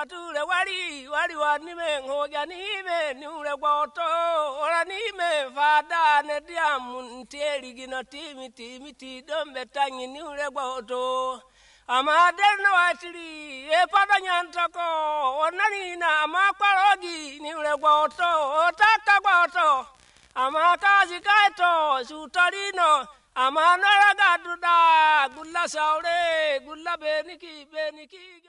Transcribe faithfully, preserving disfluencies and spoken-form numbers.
gatule wali wali wanime ngoja nime niule gwoto ora nime fada ne diamu ntieli gino timi timi ti dombe tangi niule gwoto amaderna watili e pada nyantako onanina amakwarogi niule gwoto otaka gwoto amakazi kaito sutarino amanara gaduda gulla saure gulla beniki beniki